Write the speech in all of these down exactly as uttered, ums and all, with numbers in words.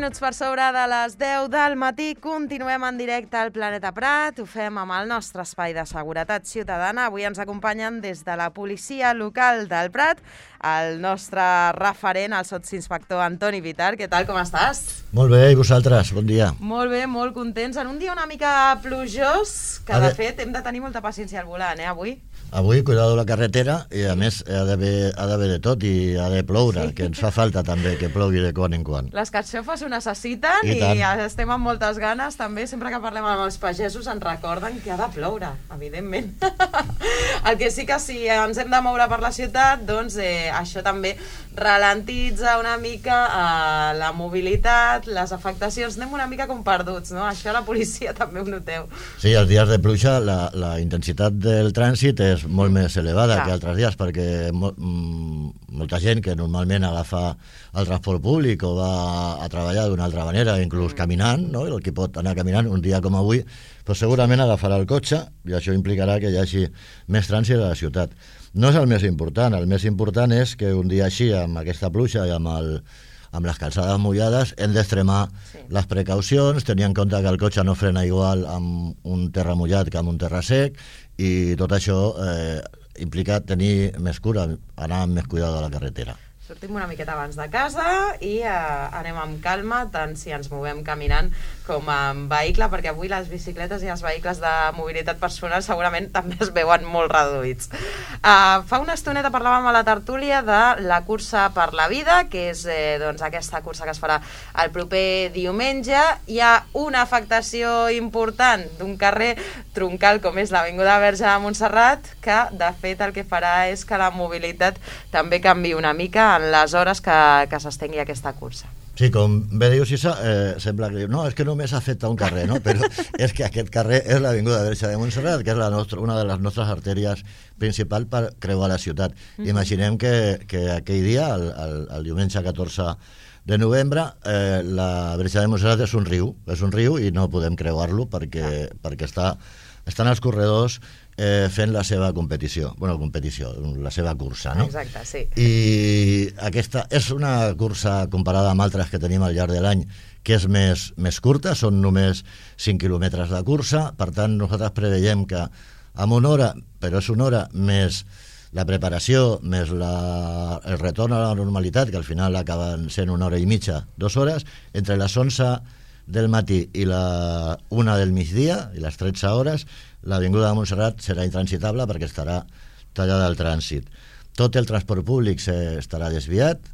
minuts per sobre de les deu del matí, continuem en directe al Planeta Prat, ho fem amb el nostre espai de seguretat ciutadana. Avui ens acompanyen des de la policia local del Prat el nostre referent, el sotsinspector Antoni Vitar. Què tal, com estàs? Molt bé, i vosaltres? Bon dia. Molt bé, molt contents. En un dia una mica plujós, que de fet hem de tenir molta paciència al volant, eh, avui? Avui, cuidado la carretera, i a més ha d'haver de tot i ha de ploure, sí. Que ens fa falta també que plogui de quan en quan. Les carxofes ho necessiten i, i estem amb moltes ganes també. Sempre que parlem amb els pagesos ens recorden que ha de ploure, evidentment. El que sí que si ens hem de moure per la ciutat, doncs eh, això també ralentitza una mica eh, la mobilitat, les afectacions. Anem una mica com perduts, no? Això la policia també ho noteu. Sí, els dies de pluja la, la intensitat del trànsit és molt més elevada Clar. que altres dies, perquè mo molta gent que normalment agafa el transport públic o va a treballar d'una altra manera, inclús mm. caminant, no? El que pot anar caminant un dia com avui, doncs segurament agafarà el cotxe i això implicarà que hi hagi més trànsit a la ciutat. No és el més important, el més important és que un dia així, amb aquesta pluja i amb, el, amb les calçades mullades, hem d'extremar sí. les precaucions, tenir en compte que el cotxe no frena igual amb un terra mullat que amb un terra sec, i tot això eh, implica tenir més cura, anar amb més cuidado a la carretera. Sortim una miqueta abans de casa i eh, anem amb calma, tant si ens movem caminant com amb vehicle, perquè avui les bicicletes i els vehicles de mobilitat personal segurament també es veuen molt reduïts. Uh, fa una estoneta parlàvem a la tertúlia de la cursa per la vida, que és eh, doncs, aquesta cursa que es farà el proper diumenge. Hi ha una afectació important d'un carrer troncal com és l'Avinguda Verge de Montserrat, que de fet el que farà és que la mobilitat també canvi una mica en les hores que, que s'estengui aquesta cursa. Sí, com bé dius, Isa, eh, sembla que no, és que només afecta un carrer, no? Però és que aquest carrer és l'Avinguda Verge de Montserrat, que és la nostra, una de les nostres artèries principals per creuar la ciutat. Mm-hmm. Imaginem que, que aquell dia, el, el, el diumenge catorze de novembre, eh, la Verge de Montserrat és un riu, és un riu i no podem creuar-lo perquè, ah. perquè està, estan els corredors eh, fent la seva competició, bueno, competició, la seva cursa, no? Exacte, sí. I aquesta és una cursa comparada amb altres que tenim al llarg de l'any que és més, més curta, són només cinc quilòmetres de cursa, per tant nosaltres preveiem que amb una hora, però és una hora més la preparació, més la, el retorn a la normalitat, que al final acaben sent una hora i mitja, dues hores, entre les onze del matí i la una del migdia, i les tretze hores, l'Avinguda de Montserrat serà intransitable perquè estarà tallada al trànsit. Tot el transport públic estarà desviat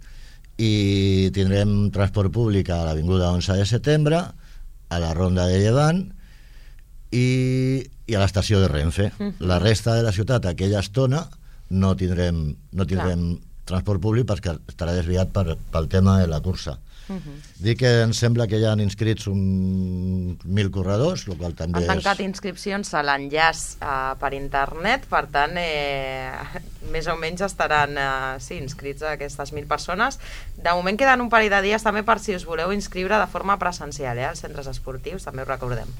i tindrem transport públic a l'Avinguda onze de setembre, a la Ronda de Llevant i, i a l'estació de Renfe. La resta de la ciutat, aquella estona, no tindrem, no tindrem transport públic perquè estarà desviat per, pel tema de la cursa. Uh-huh. Dic que em sembla que ja han inscrits un mil corredors, el qual també han tancat és... inscripcions a l'enllaç uh, per internet, per tant eh, més o menys estaran uh, sí, inscrits a aquestes mil persones. De moment queden un parell de dies també per si us voleu inscriure de forma presencial, eh, als centres esportius, també ho recordem.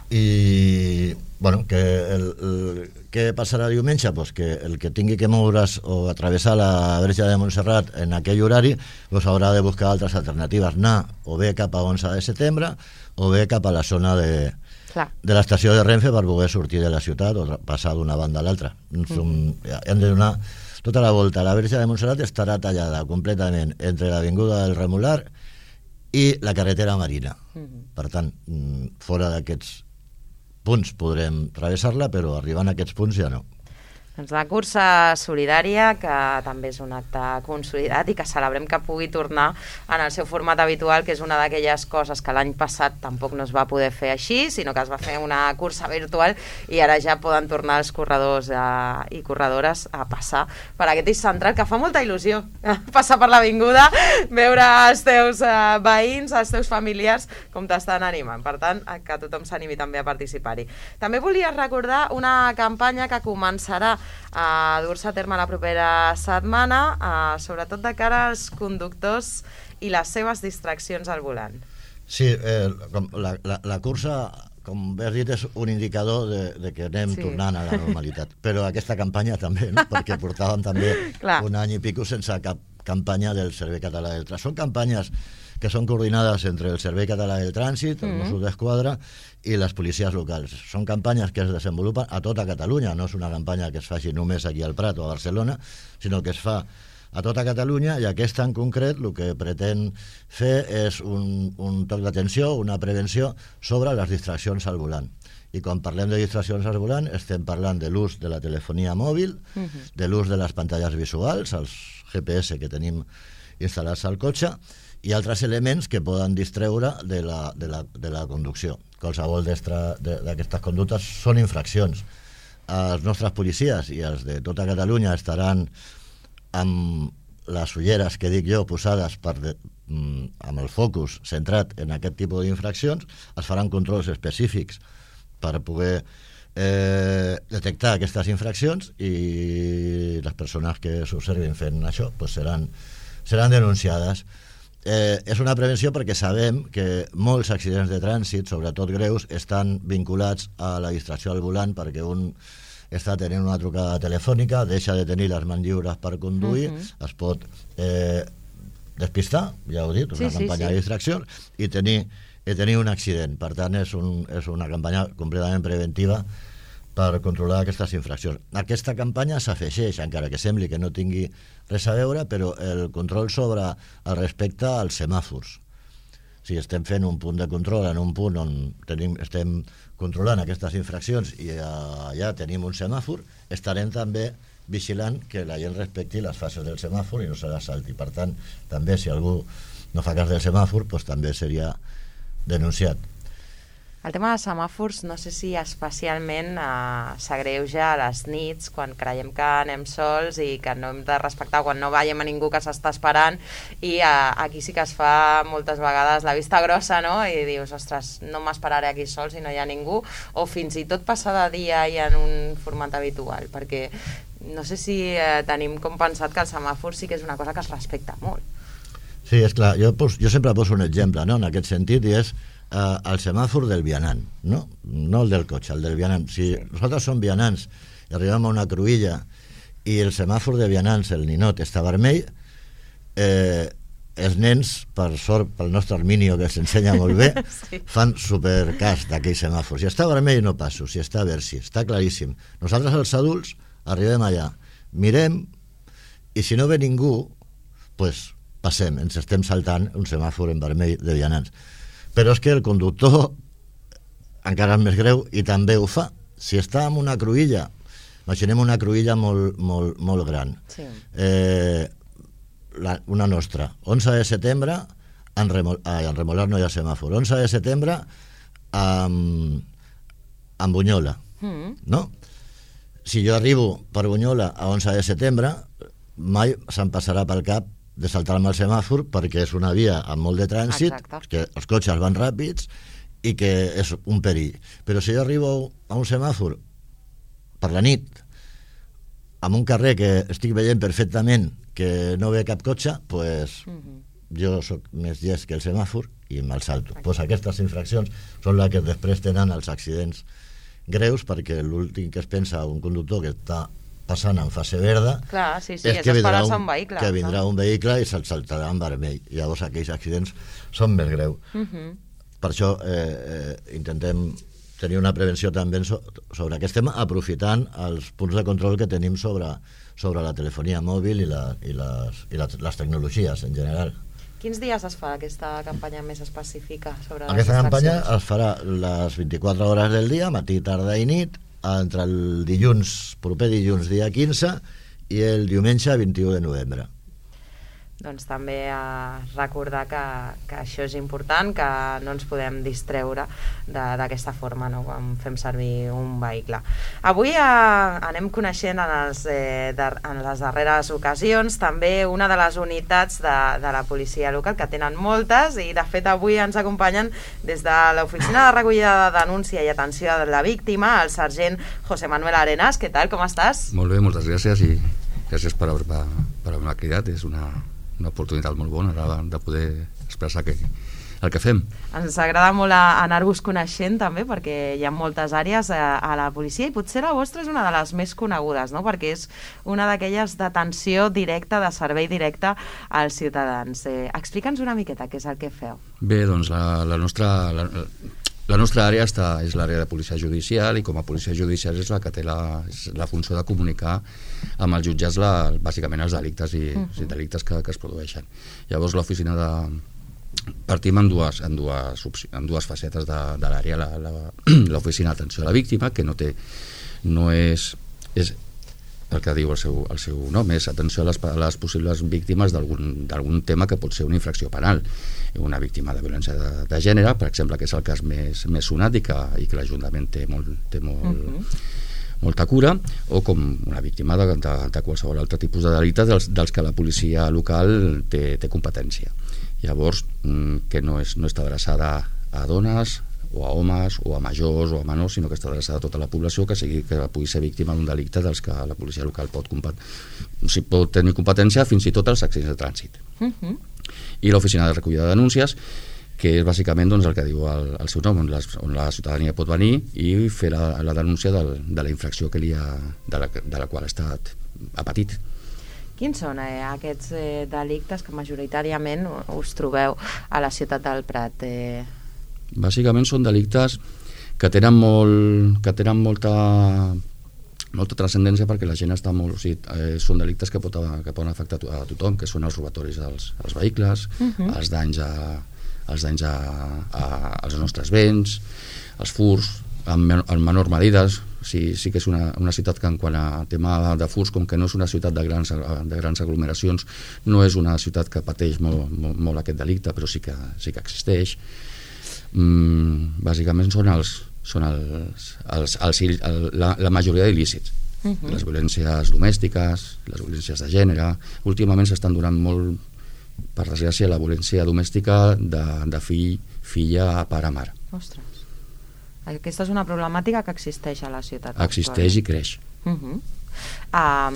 I bueno, que el, el, què passarà diumenge? Pues que el que tingui que moure's o atravessar la Verge de Montserrat en aquell horari pues haurà de buscar altres alternatives, anar o bé cap a onze de setembre o bé cap a la zona de, de l'estació de Renfe per poder sortir de la ciutat o passar d'una banda a l'altra. Mm-hmm. Hem de donar tota la volta. La Verge de Montserrat estarà tallada completament entre l'Avinguda del Remolar i la carretera marina. Mm-hmm. Per tant, fora d'aquests punts podrem travessar-la, però arribant a aquests punts ja no. Doncs la cursa solidària, que també és un acte consolidat i que celebrem que pugui tornar en el seu format habitual, que és una d'aquelles coses que l'any passat tampoc no es va poder fer així, sinó que es va fer una cursa virtual i ara ja poden tornar els corredors a, i corredores a passar per aquest eix central, que fa molta il·lusió passar per l'avinguda, veure els teus uh, veïns, els teus familiars com t'estan animant. Per tant, que tothom s'animi també a participar-hi. També volia recordar una campanya que començarà a dur-se a terme la propera setmana, eh, sobretot de cara als conductors i les seves distraccions al volant. Sí, eh, la, la, la cursa, com bé has dit, és un indicador de, de que anem sí. tornant a la normalitat. Però aquesta campanya també, no? Perquè portàvem també un any i pico sense cap campanya del Servei Català del Trànsit. Són campanyes que són coordinades entre el Servei Català del Trànsit, els Mm. Mossos d'Esquadra i les policies locals. Són campanyes que es desenvolupen a tota Catalunya, no és una campanya que es faci només aquí al Prat o a Barcelona, sinó que es fa a tota Catalunya, i aquesta en concret el que pretén fer és un, un toc d'atenció, una prevenció sobre les distraccions al volant. I quan parlem de distraccions al volant estem parlant de l'ús de la telefonia mòbil, uh-huh. de l'ús de les pantalles visuals, els G P S que tenim instal·lats al cotxe, i altres elements que poden distreure de la, de la, de la conducció. Qualsevol d'aquestes conductes són infraccions. Els nostres policies i els de tota Catalunya estaran amb les ulleres que dic jo posades per de, amb el focus centrat en aquest tipus d'infraccions. Es faran controls específics per poder eh, detectar aquestes infraccions, i les persones que s'observin fent això pues seran, seran denunciades. Eh, és una prevenció perquè sabem que molts accidents de trànsit, sobretot greus, estan vinculats a la distracció al volant, perquè un està tenint una trucada telefònica, deixa de tenir les mans lliures per conduir, uh-huh. es pot eh, despistar, ja ho he dit, una sí, campanya sí, sí. de distracció, i tenir, i tenir un accident. Per tant, és, un, és una campanya completament preventiva per controlar aquestes infraccions. Aquesta campanya s'afegeix, encara que sembli que no tingui res a veure, però el control sobre el respecte als semàfors. Si estem fent un punt de control en un punt on tenim, estem controlant aquestes infraccions i allà tenim un semàfor, estarem també vigilant que la gent respecti les fases del semàfor i no se les salti. Per tant, també si algú no fa cas del semàfor, doncs també seria denunciat. El tema dels semàfors, no sé si especialment eh, s'agreuja a les nits, quan creiem que anem sols i que no hem de respectar, quan no veiem a ningú que s'està esperant, i eh, aquí sí que es fa moltes vegades la vista grossa, no? I dius, ostres, no m'esperaré aquí sol si no hi ha ningú, o fins i tot passar de dia i en un format habitual, perquè no sé si eh, tenim com pensat que el semàfor sí que és una cosa que es respecta molt. Sí, és clar, jo, pos, jo sempre poso un exemple, no?, en aquest sentit, i és Uh, el semàfor del vianant, no? No el del cotxe, el del vianant. Si sí. nosaltres som vianants i arribem a una cruïlla i el semàfor de vianants, el ninot, està vermell, eh, els nens, per sort, pel nostre Arminio, que s'ensenya molt bé, sí. fan supercas d'aquell semàfor. Si està vermell no passo, si està verd sí, està claríssim. Nosaltres els adults arribem allà, mirem, i si no ve ningú, pues passem, ens estem saltant un semàfor en vermell de vianants. Però és que el conductor encara és més greu i també ho fa. Si està en una cruïlla, imaginem una cruïlla molt, molt, molt gran, sí. eh, la, una nostra, onze de setembre, en, Remol, ah, en Remolar no hi ha semàfor, onze de setembre amb, amb Bunyola, mm. no? Si jo arribo per Bunyola a onze de setembre, mai se'm passarà pel cap de saltar-me el semàfor, perquè és una via amb molt de trànsit, exacte. Que els cotxes van ràpids i que és un perill. Però si jo arribo a un semàfor per la nit, amb un carrer que estic veient perfectament que no ve cap cotxe, pues, uh-huh. jo sóc més llest que el semàfor i me'l salto. Pues aquestes infraccions són les que després tenen els accidents greus, perquè l'últim que es pensa un conductor que està passant en fase verda, clar, sí, sí, és, és que vindrà un, un vehicle, que vindrà un vehicle i se'l saltarà en vermell. Llavors aquells accidents són més greus. Uh-huh. Per això eh, eh, intentem tenir una prevenció també so, sobre aquest tema, aprofitant els punts de control que tenim sobre, sobre la telefonia mòbil i, la, i, les, i les, les tecnologies en general. Quins dies es fa aquesta campanya més específica sobre aquesta les campanya es farà les vint-i-quatre hores del dia, matí, tarda i nit, entre el dilluns, proper dilluns dia quinze i el diumenge vint-i-u de novembre. Doncs també eh, recordar que, que això és important, que no ens podem distreure d'aquesta forma, no?, quan fem servir un vehicle. Avui eh, anem coneixent en, els, eh, de, en les darreres ocasions també una de les unitats de, de la policia local, que tenen moltes, i de fet avui ens acompanyen des de l'oficina de recollida de denúncia i atenció a la víctima, el sergent José Manuel Arenas. Què tal, com estàs? Molt bé, moltes gràcies, i gràcies per haver, per haver cridat. És una una oportunitat molt bona de poder expressar que el que fem. Ens agrada molt anar-vos coneixent també, perquè hi ha moltes àrees a, a la policia i potser la vostra és una de les més conegudes, no? Perquè és una d'aquelles d'atenció directa, de servei directe als ciutadans. Eh, Explica'ns una miqueta què és el que feu. Bé, doncs la, la nostra... La, La nostra àrea està, és l'àrea de policia judicial i com a policia judicial és la que té la, la funció de comunicar amb els jutjats la, bàsicament els delictes i, uh -huh. i delictes que, que es produeixen. Llavors l'oficina de... Partim en dues, en dues, en dues facetes de, de l'àrea. L'oficina d'atenció a la víctima, que no té... no és... és el que diu el seu, el seu nom, és atenció a les, a les possibles víctimes d'algun tema que pot ser una infracció penal. Una víctima de violència de, de gènere, per exemple, que és el cas més, més sonat i que, i que l'Ajuntament té, molt, té molt, uh-huh. molta cura, o com una víctima de, de, de qualsevol altre tipus de delicte dels, dels que la policia local té, té competència. Llavors, que no, és, no està adreçada a dones, o a homes, o a majors, o a menors, sinó que està adreçada a tota la població que, sigui, que pugui ser víctima d'un delicte dels que la policia local pot, si pot tenir competència, fins i tot als accidents de trànsit. Uh-huh. I l'oficina de recollida de denúncies, que és bàsicament doncs, el que diu el, el seu nom, on, les, on la ciutadania pot venir i fer la, la denúncia del, de la infracció que li ha, de, la, de la qual ha estat ha patit. Quins són eh, aquests eh, delictes que majoritàriament us trobeu a la ciutat del Prat? Eh... Bàsicament són delictes que tenen, molt, que tenen molta... molta transcendència perquè la gent està molt... O sigui, eh, són delictes que, pot, que poden afectar a tothom, que són els robatoris dels, dels vehicles, uh-huh. els danys, a, els danys a, a, als nostres béns, els furs, en, en menor medides. Sí, sí que és una, una ciutat que en quant a tema de furs, com que no és una ciutat de grans, de grans aglomeracions, no és una ciutat que pateix molt, molt, molt aquest delicte, però sí que, sí que existeix. Mm, bàsicament són els són els, els, els, el, la, la majoria d'il·lícits. Uh-huh. Les violències domèstiques, les violències de gènere. Últimament s'estan donant molt, per desgràcia, la violència domèstica de, de fill, filla a pare-mare. Ostres. Aquesta és una problemàtica que existeix a la ciutat. Existeix actual. I creix. Uh-huh. Um,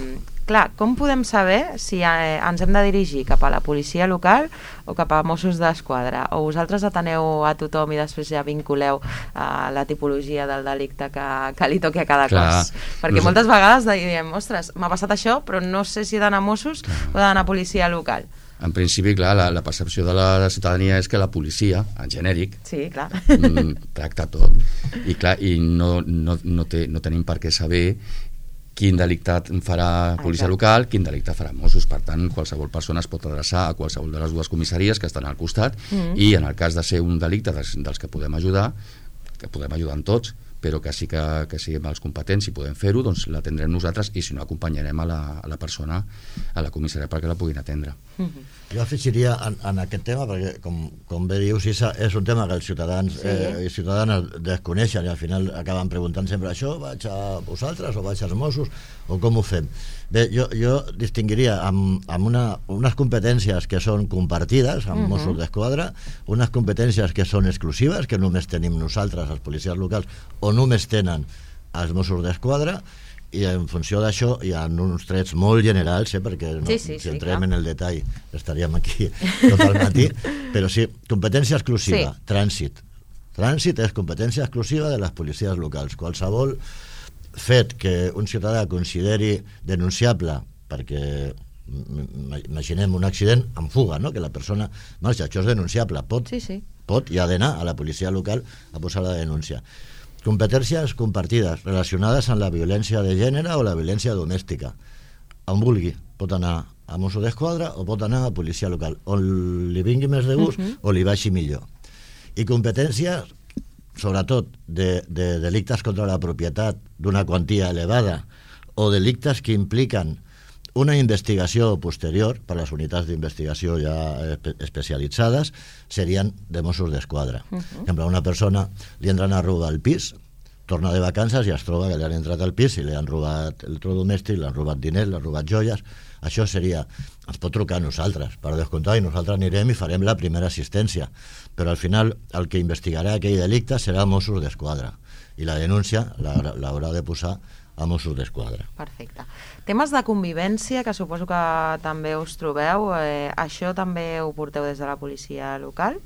clar, com podem saber si eh, ens hem de dirigir cap a la policia local o cap a Mossos d'Esquadra? O vosaltres ateneu a tothom i després ja vinculeu uh, la tipologia del delicte que, que li toqui a cada clar, cos? Perquè moltes sé. vegades diem, ostres, m'ha passat això, però no sé si he d'anar a Mossos clar. o he d'anar a policia local. En principi, clar, la, la percepció de la, la ciutadania és que la policia, en genèric, sí, clar. Mm, tracta tot. I, clar, i no, no, no, té, no tenim per què saber quin delicte farà policia Exacte. local, quin delicte farà Mossos. Per tant, qualsevol persona es pot adreçar a qualsevol de les dues comissaries que estan al costat mm. i en el cas de ser un delicte dels, dels que podem ajudar, que podem ajudar en tots, però que sí que, que siguem els competents i podem fer-ho, doncs l'atendrem nosaltres i si no acompanyarem a la, a la persona a la comissaria perquè la puguin atendre. Mm-hmm. Jo afegiria en, en aquest tema, perquè com, com bé dius, Isa, és un tema que els ciutadans sí. eh, i ciutadanes desconeixen i al final acaben preguntant sempre això, vaig a vosaltres o vaig als Mossos o com ho fem? Bé, jo, jo distingiria amb, amb una, unes competències que són compartides amb uh-huh. Mossos d'Esquadra, unes competències que són exclusives, que només tenim nosaltres, els policies locals, o només tenen els Mossos d'Esquadra, i en funció d'això hi ha uns trets molt generals, eh, perquè no, sí, sí, si sí, entrem clar. en el detall estaríem aquí tot el matí, però sí, competència exclusiva, sí. trànsit. Trànsit és competència exclusiva de les policies locals. Qualsevol fet que un ciutadà consideri denunciable, perquè imaginem un accident en fuga, no? Que la persona marxa, això és denunciable, pot, sí, sí. pot i ha d'anar a la policia local a posar la denúncia. Competències compartides relacionades amb la violència de gènere o la violència domèstica. On vulgui, pot anar a Mossos d'Esquadra o pot anar a policia local, on li vingui més de gust uh-huh. o li baixi millor. I competències, sobretot, de, de delictes contra la propietat d'una quantia elevada o delictes que impliquen una investigació posterior per les unitats d'investigació ja espe- especialitzades serien de Mossos d'Esquadra. Uh-huh. Per exemple, una persona li entren a robar el pis, torna de vacances i es troba que li han entrat al pis i li han robat electrodomèstic, li han robat diners, li han robat joies. Això seria, ens pot trucar a nosaltres per descomptar i nosaltres anirem i farem la primera assistència, però al final el que investigarà aquell delicte serà Mossos d'Esquadra i la denúncia l'haurà de posar a Mossos d'Esquadra. Perfecte. Temes de convivència, que suposo que també us trobeu, eh, això també ho porteu des de la policia local?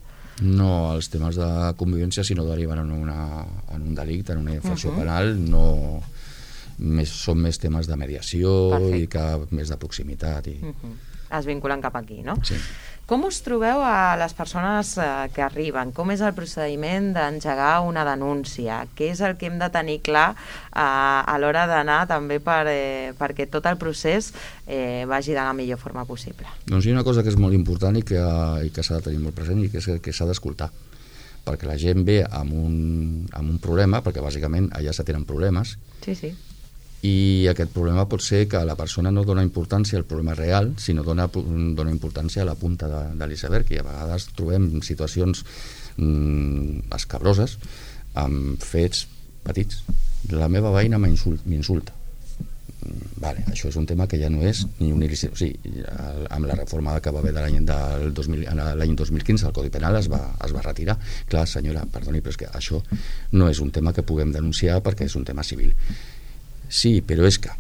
No, els temes de convivència, si no deriven en, una, en un delicte, en una infracció Uh-huh. penal, no, més, són més temes de mediació. Perfecte. I que més de proximitat. I... Uh-huh. Es vinculen cap aquí, no? Sí. Com us trobeu a les persones eh, que arriben? Com és el procediment d'engegar una denúncia? Què és el que hem de tenir clar eh, a l'hora d'anar també per, eh, perquè tot el procés eh, vagi de la millor forma possible? Doncs hi ha una cosa que és molt important i que, i que s'ha de tenir molt present i que és que s'ha d'escoltar. Perquè la gent ve amb un, amb un problema, perquè bàsicament allà se tenen problemes, Sí, sí. i aquest problema pot ser que la persona no dona importància al problema real, sinó dona, dona importància a la punta de, de l'iceberg, i a vegades trobem situacions mm, escabroses amb fets petits. La meva veïna m'insulta. Vale, això és un tema que ja no és ni un il·lícit. O sigui, amb la reforma que va haver de l'any del dos mil, l'any dos mil quinze el Codi Penal es va, es va retirar. Clar, senyora, perdoni, però és que això no és un tema que puguem denunciar perquè és un tema civil. Sí, però és que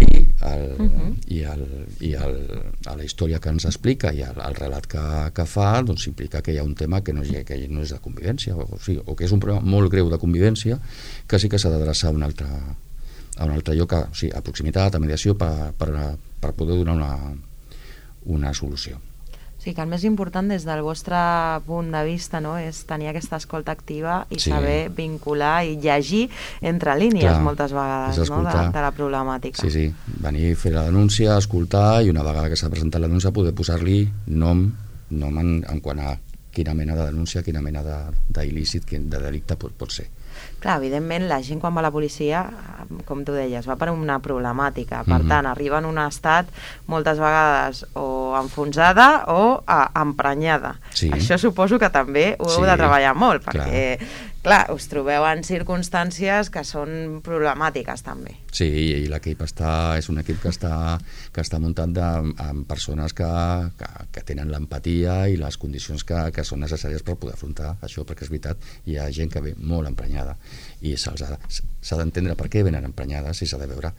i, el, uh-huh. i, el, i el, a la història que ens explica i el, el relat que, que fa, doncs implica que hi ha un tema que no, que no és de convivència, o, o, sigui, o que és un problema molt greu de convivència que sí que s'ha d'adreçar a un altre, a un altre lloc, a, o sigui, a proximitat, a mediació, per, per, per poder donar una, una solució. Sí, que el més important des del vostre punt de vista, no, és tenir aquesta escolta activa i Sí. saber vincular i llegir entre línies. Clar, moltes vegades, és no, de, escoltar. de la problemàtica. Sí, sí, venir a fer la denúncia, escoltar, i una vegada que s'ha presentat la denúncia poder posar-li nom, nom en, en quant a quina mena de denúncia, quina mena d'il·lícit, de delicte pot, pot ser. Clar, evidentment, la gent quan va a la policia, com tu deies, va per una problemàtica. Per Mhm. tant, arriba en un estat moltes vegades o enfonsada o ah, emprenyada. Sí. Això suposo que també ho heu Sí, de treballar molt, perquè, clar. clar, us trobeu en circumstàncies que són problemàtiques també. Sí, i l'equip està, és un equip que està, que està muntat de, amb persones que, que, que tenen l'empatia i les condicions que, que són necessàries per poder afrontar això, perquè és veritat, hi ha gent que ve molt emprenyada i s'ha d'entendre per què venen emprenyades i s'ha de veure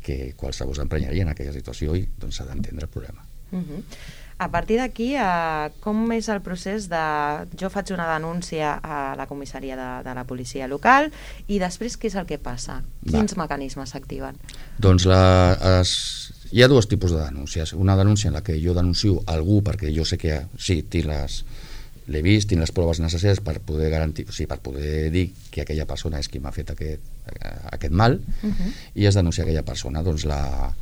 que qualsevol s'emprenyaria en aquella situació i doncs s'ha d'entendre el problema. Uh-huh. A partir d'aquí, eh, com és el procés de... Jo faig una denúncia a la comissaria de, de la policia local i després què és el que passa? Quins Va. mecanismes s'activen? Doncs la, es, hi ha dos tipus de denúncies. Una denúncia en la que jo denuncio algú perquè jo sé que sí, tinc les, l'he vist, tinc les proves necessàries per poder garantir, o sigui, per poder dir que aquella persona és qui m'ha fet aquest, aquest mal, uh-huh. i es denuncia aquella persona. Doncs la...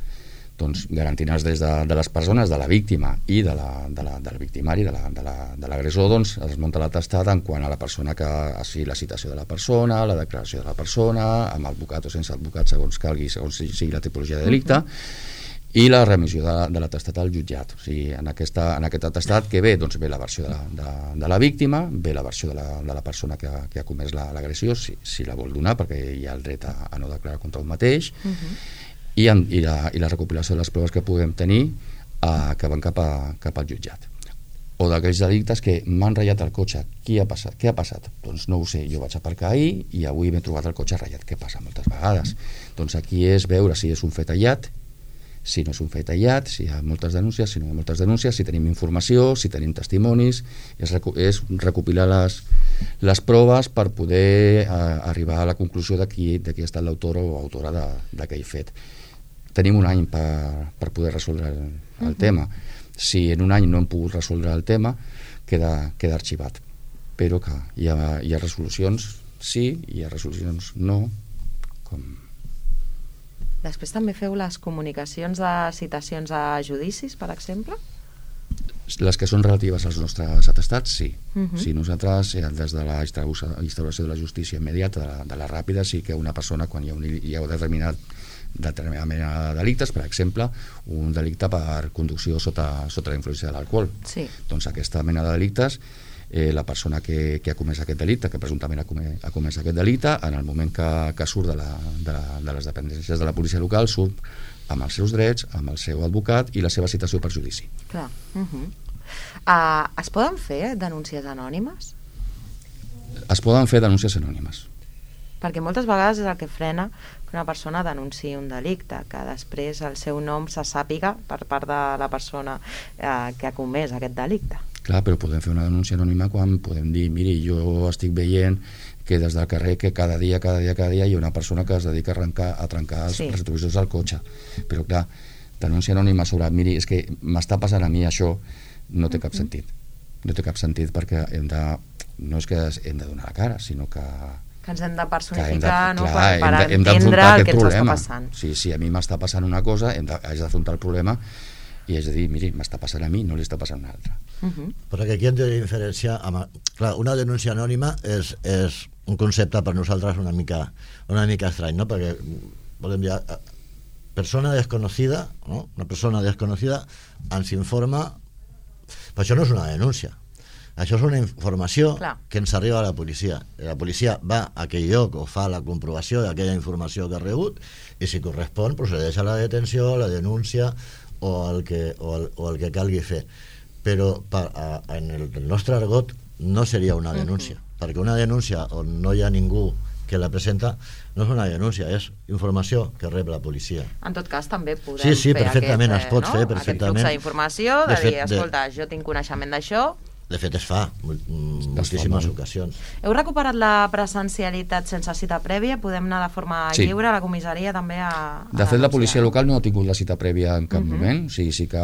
doncs, garantint els drets de, de les persones, de la víctima i de la, de la, del victimari, de l'agressor, la, de doncs es munta l'atestat en quant a la persona que, o sigui, la citació de la persona, la declaració de la persona, amb advocat o sense advocat, segons calgui, segons sigui la tipologia de delicte, uh-huh. i la remissió de, de l'atestat al jutjat. O sigui, en, aquesta, en aquest atestat que ve, doncs ve la versió de la, de, de la víctima, ve la versió de la, de la persona que, que ha comès l'agressió, si, si la vol donar, perquè hi ha el dret a, a no declarar contra un mateix, uh-huh. I, en, i, la, i la recopilació de les proves que puguem tenir eh, que van cap, a, cap al jutjat. O d'aquells delictes que m'han ratllat el cotxe. Qui ha passat? Què ha passat? Doncs no ho sé, jo vaig aparcar ahir i avui m'he trobat el cotxe ratllat. Què passa moltes vegades? Doncs aquí és veure si és un fet aïllat, si no és un fet aïllat, si hi ha moltes denúncies, si no hi ha moltes denúncies, si tenim informació, si tenim testimonis, és, recu és recopilar les, les proves per poder eh, arribar a la conclusió de qui, de qui ha estat l'autor o autora d'aquell fet. Tenim un any per, per poder resoldre el, el uh-huh. tema. Si en un any no hem pogut resoldre el tema, queda, queda arxivat. Però que hi ha, hi ha resolucions sí, hi ha resolucions no. Com... Després també feu les comunicacions de citacions a judicis, per exemple? Les que són relatives als nostres atestats, sí. Uh-huh. Si nosaltres, des de la instauració de la justícia immediata, de la, de la ràpida, sí que una persona, quan hi ha un, hi ha un determinat determinada mena de delictes, per exemple un delicte per conducció sota, sota la influència de l'alcohol, sí. Doncs aquesta mena de delictes, eh, la persona que, que ha comès aquest delicte, que presumptament ha comès, ha comès aquest delicte, en el moment que, que surt de, la, de, la, de les dependències de la policia local, surt amb els seus drets, amb el seu advocat i la seva citació per judici. Clar. Uh-huh. uh, es poden fer denúncies anònimes? Es poden fer denúncies anònimes. Perquè moltes vegades és el que frena que una persona denunciï un delicte, que després el seu nom se sàpiga per part de la persona eh, que ha comès aquest delicte. Clar, però podem fer una denúncia anònima quan podem dir, miri, jo estic veient que des del carrer que cada dia, cada dia, cada dia hi ha una persona que es dedica a, arrencar, a trencar els sí. retrovisors del cotxe. Però clar, denúncia anònima sobre, miri, és que m'està passant a mi això, no té cap sentit. No té cap sentit perquè hem de, no és que hem de donar la cara, sinó que que ens hem de personificar, de, no? clar, per, per hem de, hem entendre el que ens problema. està passant. Sí, sí, a mi m'està passant una cosa, hem de, haig d'afrontar el problema i haig de dir, miri, m'està passant a mi, no li està passant a un altre. Uh-huh. Perquè aquí hem de diferenciar... Amb, clar, una denúncia anònima és, és un concepte per nosaltres una mica, una mica estrany, no? Perquè volem dir, persona desconocida, no? Una persona desconocida ens informa... Però això no és una denúncia. Això és una informació Clar. que ens arriba a la policia. La policia va a aquell lloc o fa la comprovació d'aquella informació que ha rebut i si correspon procedeix a la detenció, a la denúncia o el que, o el, o el que calgui fer. Però per, a, en el, el nostre argot no seria una denúncia, uh-huh. perquè una denúncia on no hi ha ningú que la presenta no és una denúncia, és informació que rep la policia. En tot cas també podem sí, sí, fer perfectament, aquest, es pot no? fer perfectament. aquest flux d'informació, de, de fet, dir, escolta, de... jo tinc coneixement d'això. De fet es fa moltíssimes ocasions. Heu recuperat la presencialitat sense cita prèvia? Podem anar de forma sí. lliure a la comissaria també a... a de fet la policia local no ha tingut la cita prèvia en cap uh-huh. moment, o sigui, sí que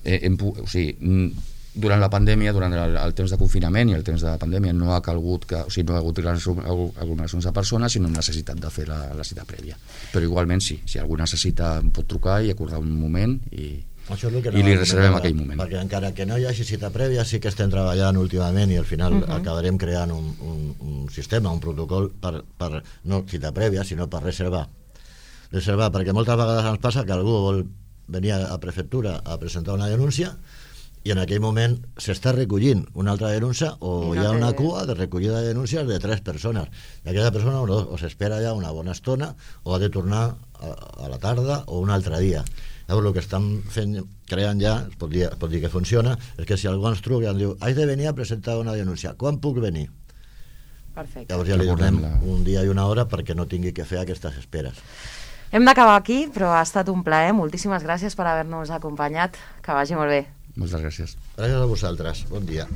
hem, o sigui, durant la pandèmia, durant el, el temps de confinament i el temps de pandèmia no ha calgut que, o sigui, no ha hagut aglomeracions de persones, sinó necessitat de fer la, la cita prèvia. Però igualment sí, si algú necessita pot trucar i acordar un moment i Això és el que i li reservem aquell moment. Perquè encara que no hi hagi cita prèvia sí que estem treballant últimament i al final uh-huh. acabarem creant un, un, un sistema, un protocol per, per no cita prèvia sinó per reservar. Reservar, perquè moltes vegades ens passa que algú vol venir a la prefectura a presentar una denúncia i en aquell moment s'està recollint una altra denúncia o no hi ha una té... cua de recollida de denúncies de tres persones. I aquella persona o, o s'espera ja una bona estona o ha de tornar a, a la tarda o un altre dia. Llavors el que estan fent, creant ja, es pot dir, es pot dir que funciona, és que si algú ens truca i ens diu haig de venir a presentar una denúncia, quan puc venir? Perfecte. Llavors ja li donem un dia i una hora perquè no tingui que fer aquestes esperes. Hem d'acabar aquí, però ha estat un plaer. Moltíssimes gràcies per haver-nos acompanyat. Que vagi molt bé. Moltes gràcies. Gràcies a vosaltres. Bon dia.